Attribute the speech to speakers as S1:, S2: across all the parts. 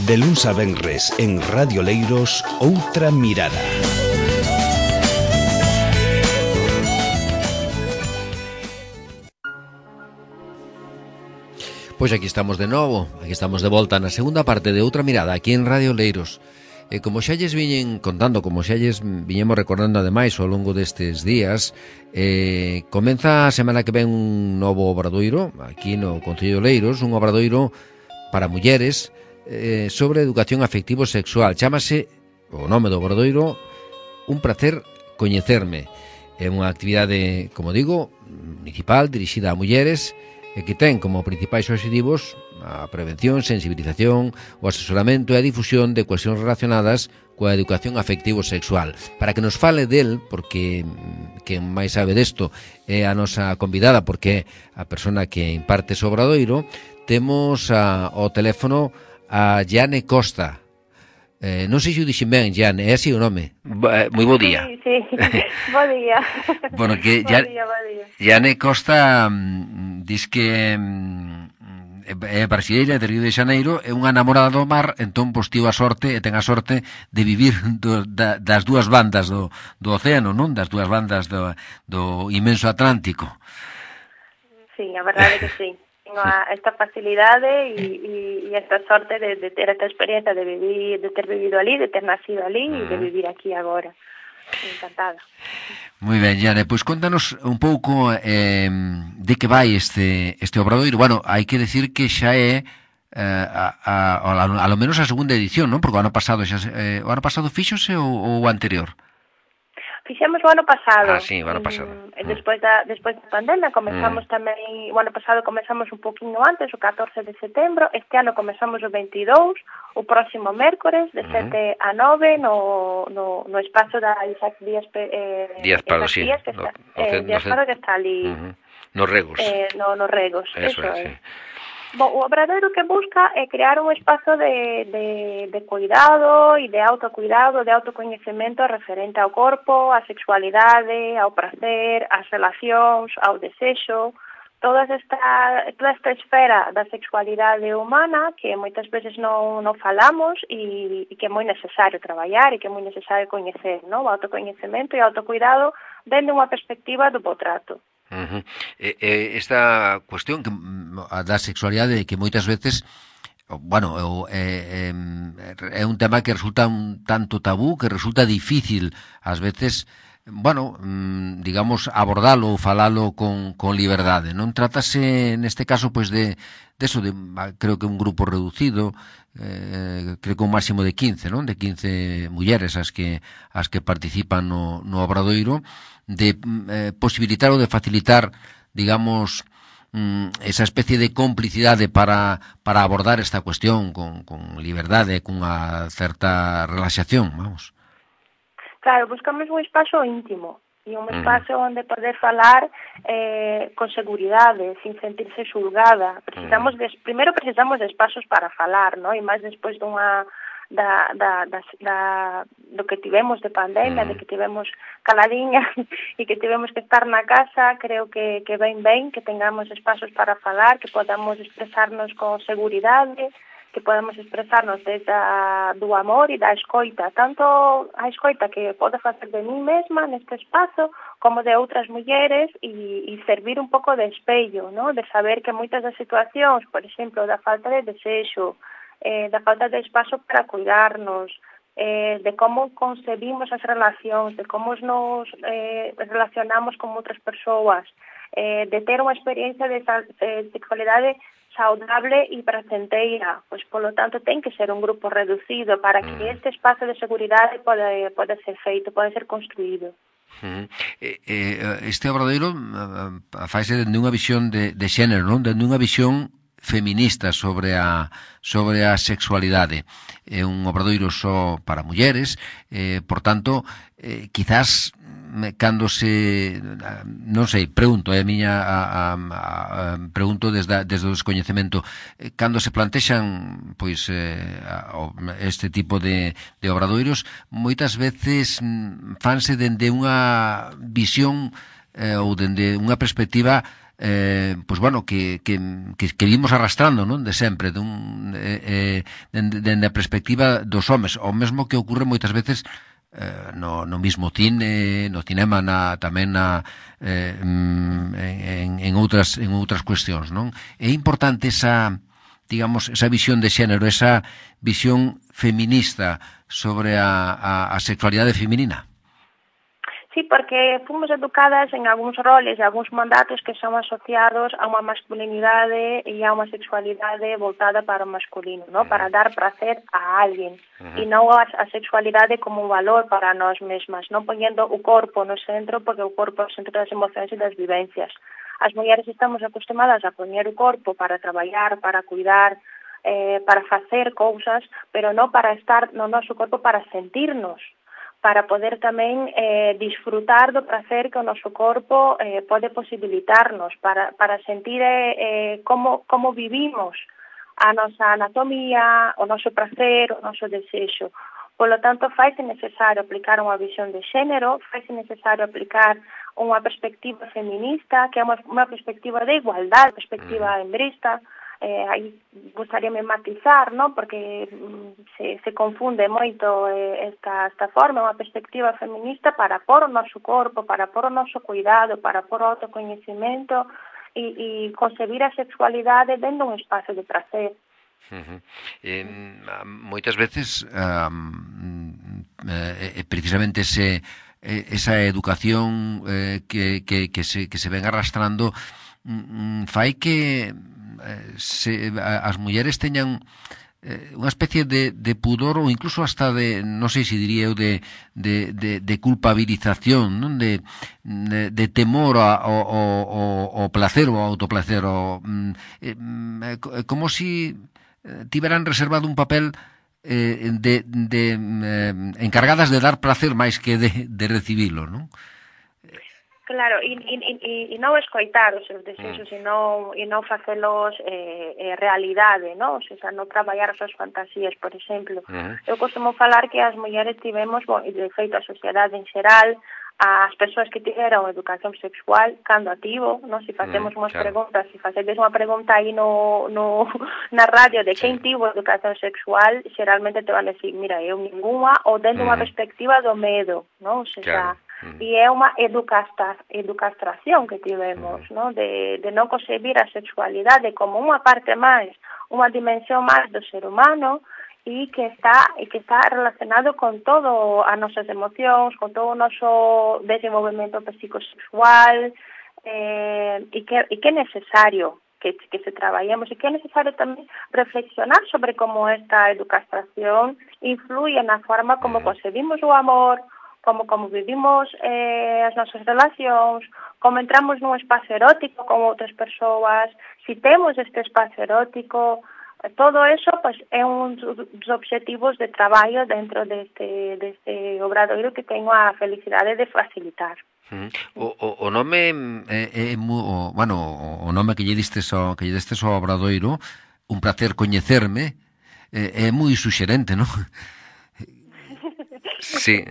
S1: De luns a venres en Radio Leiros, Outra Mirada.
S2: Pois aquí estamos de novo, aquí estamos de volta na segunda parte de Outra Mirada, aquí en Radio Leiros. E como xa lles viñen contando, como xa lles viñemos recordando ademais ao longo destes días, comeza a semana que ven un novo obradoiro, aquí no Concello de Leiros, un obradoiro para mulleres sobre educación afectivo sexual. Chámase, o nome do obradoiro, Un placer coñecerme. É unha actividade, como digo, municipal, dirixida a mulleres, e que ten como principais obxectivos a prevención, sensibilización, o asesoramento e a difusión de cuestións relacionadas coa educación afectivo-sexual. Para que nos fale del, porque quen máis sabe desto é a nosa convidada, porque é a persona que imparte ese obradoiro, temos ao teléfono a Jane Costa. Non sei se o dixen ben, Jane, é así o nome? Moi bo día.
S3: Sí, bo día.
S2: Bueno, que
S3: bo día.
S2: Jane Costa dis que é brasileira de Río de Xaneiro, é unha namorada do mar, entón pois tivo a sorte e ten a sorte de vivir das dúas bandas do océano, non? Das dúas bandas do inmenso Atlántico.
S3: Sí, a verdade que sí. Tengo esta facilidade e esta sorte de ter esta experiencia de ter vivido ali, de ter nacido ali e de vivir aquí agora. Encantada.
S2: Moi ben, Jane, pois contanos un pouco de que vai este obradoiro. Bueno, hai que decir que xa é a lo menos a segunda edición, non? Porque o ano pasado fíxose ou o anterior?
S3: Fixemos o ano pasado.
S2: Sí, o ano pasado.
S3: Despois da pandemia comezamos tamén, o ano pasado comezamos un poquinho antes, o 14 de setembro, este ano comezamos o 22, o próximo mércores, de 7 a 9, no espazo da Isaac Díaz Paro, sí. Díaz Paro que está ali.
S2: Nos Regos.
S3: Nos Regos,
S2: eso é, sí.
S3: Bom, o obradoiro que busca é crear un espazo de cuidado e de autocuidado, de autocoñecemento referente ao corpo, á sexualidade, ao prazer, ás relacións, ao desexo, toda esta esfera da sexualidade humana que moitas veces non falamos e que é moi necesario traballar e que é moi necesario coñecer, non? O autocoñecemento e o autocuidado dende unha perspectiva do bo trato.
S2: Esta cuestión da sexualidade que moitas veces, bueno, é un tema que resulta un tanto tabú, que resulta difícil ás veces, bueno, digamos, abordalo ou falalo con liberdade, non? Trátase neste caso pois de eso, creo que un grupo reducido, creo que un máximo de 15, non? De 15 mulleres as que participan no obradoiro, de posibilitar ou de facilitar, digamos, esa especie de complicidade para abordar esta cuestión con liberdade, cunha certa relaxación, vamos.
S3: Claro, buscamos un espazo íntimo e un espazo onde poder falar con seguridade, sin sentirse xulgada. Primeiro precisamos de espazos para falar, non? E máis despois dunha do que tivemos de pandemia, de que tivemos caladiña e que tivemos que estar na casa, creo que ben que tengamos espazos para falar, que podamos expresarnos con seguridade, que podamos expresarnos desde do amor e da escoita, tanto a escoita que podo facer de mí mesma neste espazo, como de outras mulleres e servir un pouco de espello, ¿no? De saber que moitas das situacións, por exemplo, da falta de desexo, da falta de espazo para cuidarnos, de como concebimos as relacións, de como nos relacionamos con outras persoas, de ter unha experiencia de sexualidade saudable e pracenteira, pois polo tanto ten que ser un grupo reducido para que este espazo de seguridade pode ser feito, pode ser construído.
S2: Este obradoiro faise dende unha visión de xénero, non? Dende unha visión feminista sobre a sexualidade. É un obradoiro só para mulleres, por tanto, quizás cando se, non sei, pregunto, a miña pregunto desde o descoñecemento, cando se plantexan pois este tipo de obradoiros, moitas veces fanse dende unha visión ou dende unha perspectiva pois bueno, que vimos arrastrando, non, de sempre, dende a perspectiva dos homes, o mesmo que ocorre moitas veces no mismo cine, no cinema, tamén en outras cuestións, non? É importante esa, digamos, esa visión de xénero, esa visión feminista sobre a sexualidade feminina.
S3: Sí, porque fomos educadas en algúns roles e algúns mandatos que son asociados a unha masculinidade e a unha sexualidade voltada para o masculino, ¿no? Para dar placer a alguén, e non a sexualidade como un valor para nós mesmas, non poñendo o corpo no centro, porque o corpo é o centro das emocións e das vivencias. As mulleres estamos acostumadas a poñer o corpo para traballar, para cuidar, para facer cousas, pero non para estar no noso corpo para sentirnos, para poder tamén disfrutar do placer que o noso corpo pode posibilitarnos, para sentir como vivimos a nosa anatomía, o noso placer, o noso desexo. Por lo tanto, faise necesario aplicar unha visión de xénero, faise necesario aplicar unha perspectiva feminista, que é unha perspectiva de igualdade, perspectiva hembrista. Aí gustaríame matizar, ¿no? Porque se confunde moito esta forma, unha perspectiva feminista para pôr o noso corpo, para pôr o noso cuidado, para pôr o autocoñecemento e concebir a sexualidade dentro un espacio de prazer.
S2: Moitas veces precisamente esa educación que se ven arrastrando fai que as mulleres teñan unha especie de pudor ou incluso hasta de, non sei se diría eu, de culpabilización, non? De temor ao placer ou ao autoplacer, como si tiveran reservado un papel encargadas de dar placer máis que de recibilo, non?
S3: Claro, e non escoitar os seus desexos e non facelos realidade, non? O sea, non traballar as súas fantasías, por exemplo. Eu costumo falar que as mulleres tivemos, e de feito a sociedade en xeral, as persoas que tiveron educación sexual cando activo, non? Se facemos unhas preguntas, se facedes unha pregunta aí na radio de quen tivo educación sexual, xeralmente te van a decir, mira, eu ninguna, ou dentro unha perspectiva do medo, non? O sea, e é unha educastración que tivemos, ¿no? De non concebir a sexualidade como unha parte máis, unha dimensión máis do ser humano e que está relacionado con todo as nosas emocións, con todo o noso desenvolvemento psicosexual e que é necesario que se traballemos e que é necesario tamén reflexionar sobre como esta educastración influye na forma como concebimos o amor, como vivimos as nosas relacións, como entramos nun espacio erótico con outras persoas, si temos este espacio erótico, todo eso pues, é un dos obxectivos de traballo dentro deste obradoiro que teño a felicidade de facilitar.
S2: O nome o nome que lle distes ao obradoiro, un placer coñecerme, é moi suxerente, non? Sí.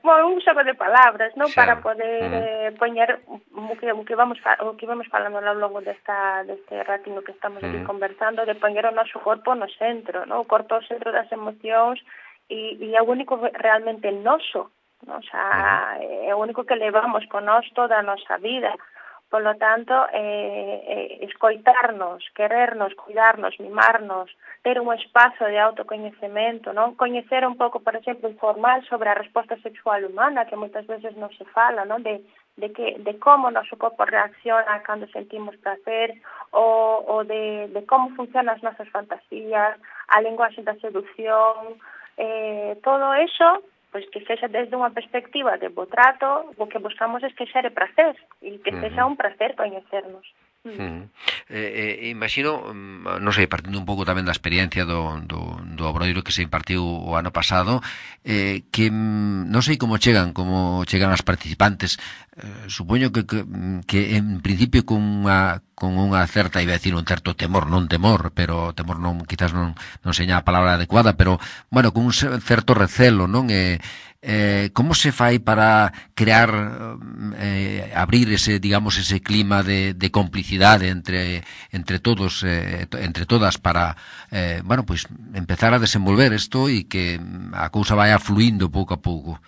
S3: Bueno, un xogo de palabras, non? Xa. Para poder poñer o que vamos falando ao longo deste ratino que estamos aquí conversando, de poñer o noso corpo no centro, non? O corpo ao centro das emocións e é o único realmente noso, non? O sea, é o único que levamos con nós toda a nosa vida. Por lo tanto, escoitarnos, querernos, cuidarnos, mimarnos, ter un espazo de autocoñecemento, non? Coñecer un pouco, por exemplo, informar sobre a resposta sexual humana, que moitas veces non se fala, non? De como o noso corpo reacciona cando sentimos placer, ou de como funcionan as nosas fantasías, a linguaxe da seducción, todo eso, pois que sexa desde unha perspectiva de bo trato, o que buscamos é que xere prazer, e que sexa un prazer coñecernos.
S2: Imagino, non sei, partindo un pouco tamén da experiencia do obradoiro que se impartiu o ano pasado, que non sei como chegan as participantes. Supoño que en principio con unha certa, iba a decir un certo temor, pero temor non, quizás non seña a palabra adecuada, pero, bueno, con un certo recelo, non? como se fai para crear, abrir ese, digamos, ese clima de complicidade entre todos, entre todas para, bueno, pois empezar a desenvolver isto e que a cousa vaya fluindo pouco a pouco?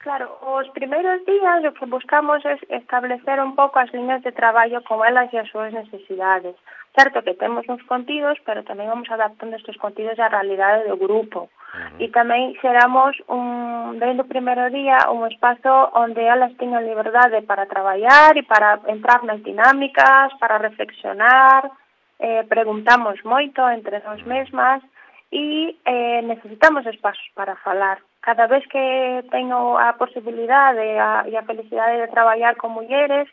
S3: Claro, os primeiros días o que buscamos é establecer un pouco as liñas de traballo con elas e as súas necesidades. Certo que temos uns contidos, pero tamén vamos adaptando estes contidos á realidade do grupo. E tamén xeramos, desde o primeiro día, un espazo onde elas teñan liberdade para traballar e para entrar nas dinámicas, para reflexionar, preguntamos moito entre nós mesmas e necesitamos espaços para falar. Cada vez que teño a posibilidade e a felicidade de traballar con mulleres,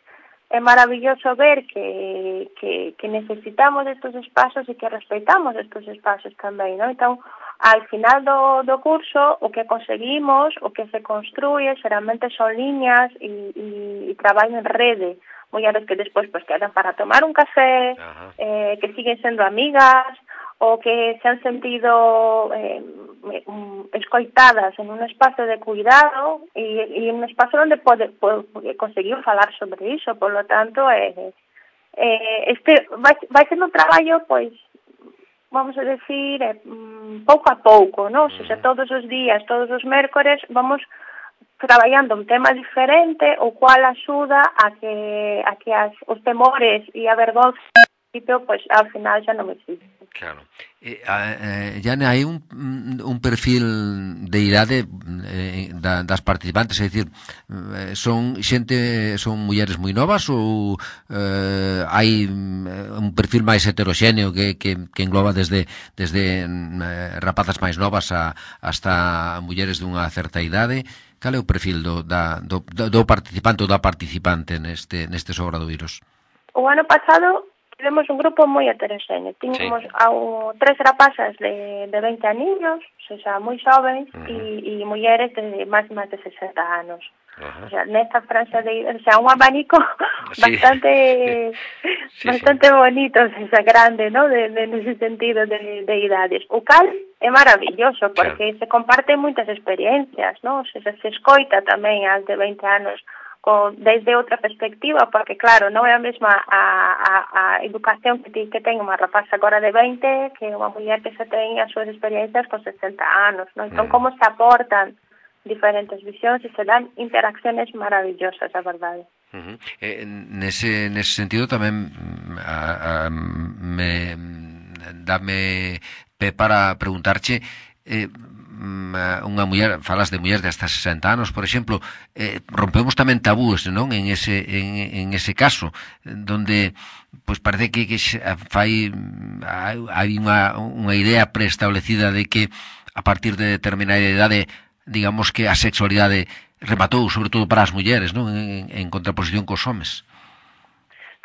S3: é maravilloso ver que necesitamos estes espazos e que respeitamos estes espazos tamén, non? Entón, al final do curso, o que conseguimos, o que se construye, xeralmente son líneas e traballo en rede. Mulleres que despois pues, quedan para tomar un café, que siguen sendo amigas, ou que se han sentido escoitadas en un espazo de cuidado e un espazo onde conseguir falar sobre iso. Por lo tanto, vai ser un traballo, pois, vamos a decir, pouco a pouco, non? O sea, todos os días, todos os mércores, vamos traballando un tema diferente, o cual axuda a que os temores e a vergonza, pois, ao final xa non existen.
S2: Claro. Jane, hai un perfil de idade das participantes, é dicir, son mulleres moi novas ou hai un perfil máis heteroxéneo que engloba desde rapazas máis novas hasta mulleres dunha certa idade? Cal é o perfil do participante ou da participante nestes obradoiros?
S3: O ano pasado tivemos un grupo moi heteroxéneo. Tínhamos tres rapazas de 20 aniños, o sea, moi xovens, e mulleres de máis de 60 anos. O sea, nesta franja o sea, un abanico bastante bonito, o sea, grande, ¿no? Nese sentido de idades. O cal é maravilloso, porque se comparten moitas experiencias, ¿no? O sea, se escoita tamén as de 20 anos desde outra perspectiva, porque claro, non é a mesma a educación que ten unha rapaza agora de 20 que unha muller que se ten as súas experiencias con 60 anos, non? Entón, como se aportan diferentes visións e se dan interacciones maravillosas, a verdade.
S2: Nese sentido tamén dame pé para preguntarche, unha muller, falas de mulleres de hasta 60 anos, por exemplo, rompemos tamén tabúes, non? En ese caso, donde pois parece que hai unha idea preestablecida de que a partir de determinada idade, digamos que a sexualidade rematou, sobre todo para as mulleres, non? En contraposición cos homes.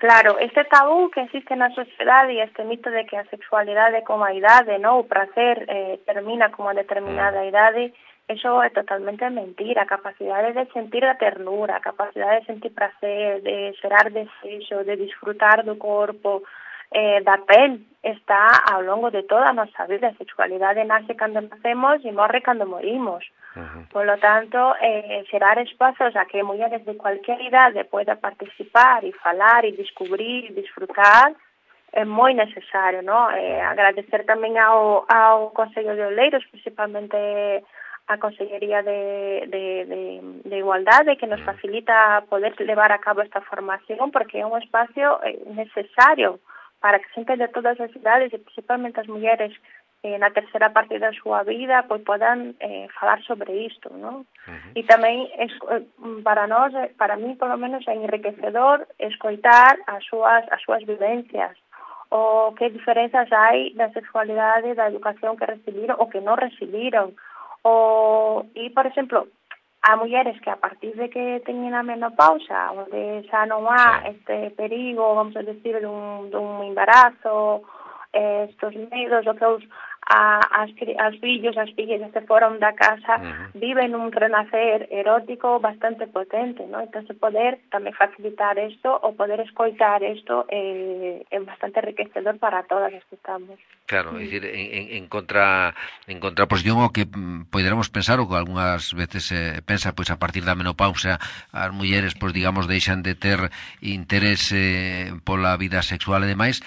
S3: Claro, este tabú que existe na sociedade e este mito de que a sexualidade como a idade, ¿no? O prazer termina como a determinada idade, eso é totalmente mentira. A capacidade de sentir a ternura, a capacidade de sentir prazer, de xerar desexo, de disfrutar do corpo, da pel, está ao longo de toda a nosa vida. A sexualidade nace cando nacemos e morre cando morimos. Por lo tanto, xerar espazos a que mulleres de cualquier idade poida participar e falar e descubrir e disfrutar é moi necesario, ¿no? Agradecer tamén ao Consello de Oleiros, principalmente a Consellería de Igualdade, que nos facilita poder levar a cabo esta formación, porque é un espacio necesario para que xente de todas as idades, e principalmente as mulleres na terceira parte da súa vida, pois podan falar sobre isto, non? E tamén para nós, para mí polo menos é enriquecedor escoitar as súas vivencias, o que diferenzas hai da sexualidade, da educación que recibiron ou que non recibiron. E, por exemplo, há mulleres que a partir de que teñen a menopausa, onde xa non há este perigo, vamos a decir, dun embarazo, estos medos, o que as fillos, as fillas que foron da casa viven un renacer erótico bastante potente, ¿no? Entón, poder tamén facilitar isto, o poder escoitar isto é bastante enriquecedor para todas as que estamos.
S2: Claro, é dicir, en contraposición ao que poderamos pensar, ou que algunhas veces pensa, pois a partir da menopausa as mulleres, pois digamos, deixan de ter interés pola vida sexual e demais.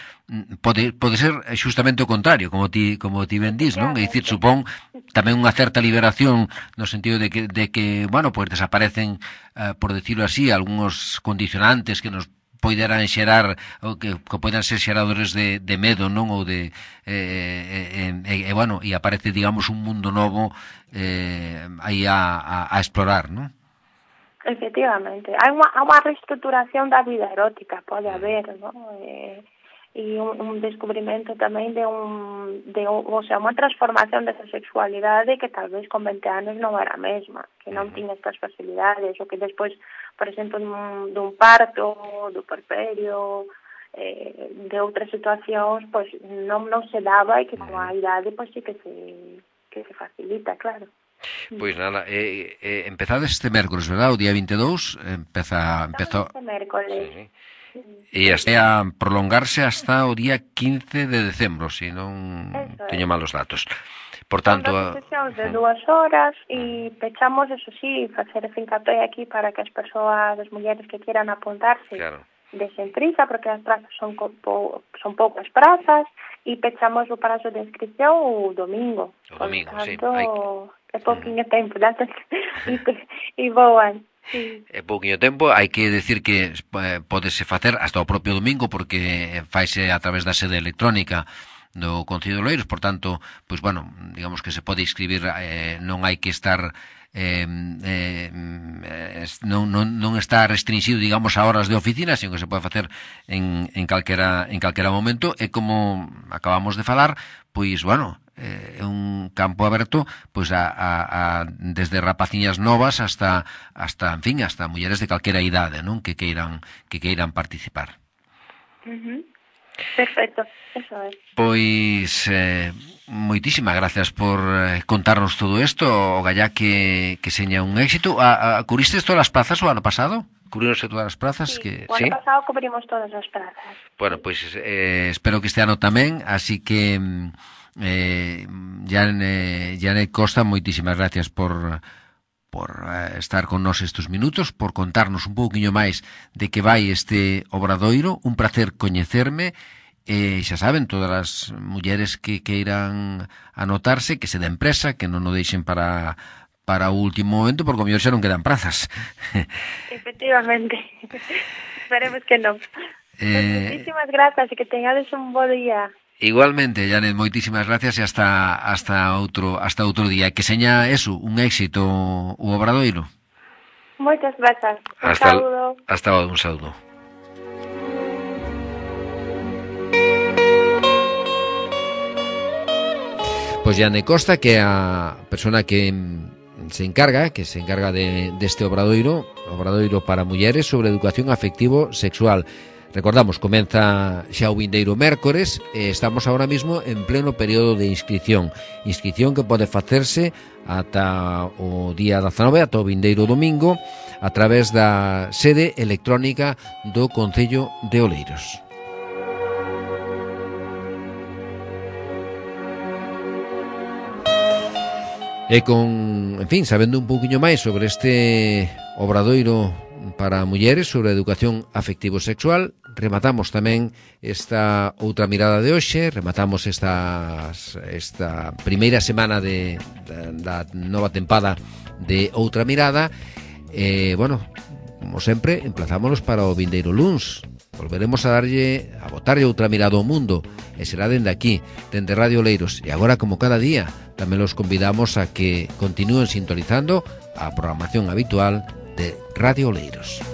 S2: Pode ser justamente o contrario, como ti ben dís, non? É dicir, supón tamén unha certa liberación no sentido de que bueno, pois desaparecen, por decirlo así, algúns condicionantes que nos poideran xerar, ou que poidan ser xeradores de medo, non? Ou de bueno, e aparece, digamos, un mundo novo aí a explorar, non?
S3: Efectivamente, hai unha reestruturación da vida erótica, pode haber, non? E un descubrimento tamén o sea, unha transformación desa sexualidade que tal vez con 20 anos non era a mesma, que non tiña estas facilidades, o que despois, por exemplo, dun parto, do puerperio, de outras situacións, pois non se daba, e que con a idade pois sí que se facilita, claro.
S2: Pois nada, empezades este mércores, verdad? O día 22 empezou
S3: este mércores.
S2: E hasta a prolongarse hasta o día 15 de decembro, se non teño malos datos. Por tanto,
S3: son sesións de 2 horas e pechamos, eso sí, facer fincapé aquí para que as persoas, as mulleres que quieran apuntarse, desen prisa, porque as prazas son poucas prazas, e pechamos o prazo de inscripción o domingo.
S2: O domingo,
S3: tanto, sí. É pouquinho tempo, e voan. Sí.
S2: É pouquinho tempo, hai que decir que podese facer hasta o propio domingo, porque faise a través da sede electrónica do Concello de Oleiros, por tanto, pois bueno, digamos que se pode inscribir, non hai que estar non está restringido, digamos, a horas de oficina, sino que se pode facer en calquera momento, e como acabamos de falar, pois bueno, é un campo aberto pois desde rapaciñas novas hasta en fin, hasta mulleres de calquera idade, non? Que queiran participar.
S3: Perfecto, eso é.
S2: Pois moitísimas gracias por contarnos todo isto, o gallá que seña un éxito. Cubristes todas as plazas o ano pasado? Cubríronse todas as plazas?
S3: Sí, o ano pasado cubrimos todas as plazas.
S2: Bueno, pois espero que este ano tamén, así que Janet Costa, moitísimas gracias por estar con nós estes minutos, por contarnos un pouquiño máis de que vai este obradoiro. Un placer coñecerme, xa saben, todas as mulleres que queiran anotarse, que se den presa, que non o deixen para o último momento, porque o mellor xa non quedan prazas.
S3: Efectivamente, esperemos que non. Moitísimas grazas e que teñades un bo día.
S2: Igualmente, Janet, moitísimas gracias, e hasta outro día. Que seña eso, un éxito o obradoiro.
S3: Moitas grazas. Un saúdo.
S2: Hasta un saúdo. Pois Janet Costa, que é a persona que se encarga deste obradoiro para mulleres sobre educación afectivo sexual. Recordamos, comeza xa o vindeiro mércores e estamos ahora mismo en pleno período de inscripción que pode facerse ata o día 19, ata o vindeiro domingo, a través da sede electrónica do Concello de Oleiros. E en fin, sabendo un pouquiño máis sobre este obradoiro para mulleres sobre educación afectivo-sexual, rematamos tamén esta outra mirada de hoxe, rematamos esta primeira semana da nova tempada de Outra Mirada. Bueno, como sempre, emplazámonos para o vindeiro luns. Volveremos a botarlle outra mirada ao mundo, e será dende aquí, dende Radio Oleiros. E agora, como cada día, tamén los convidamos a que continúen sintonizando a programación habitual de Radio Oleiros.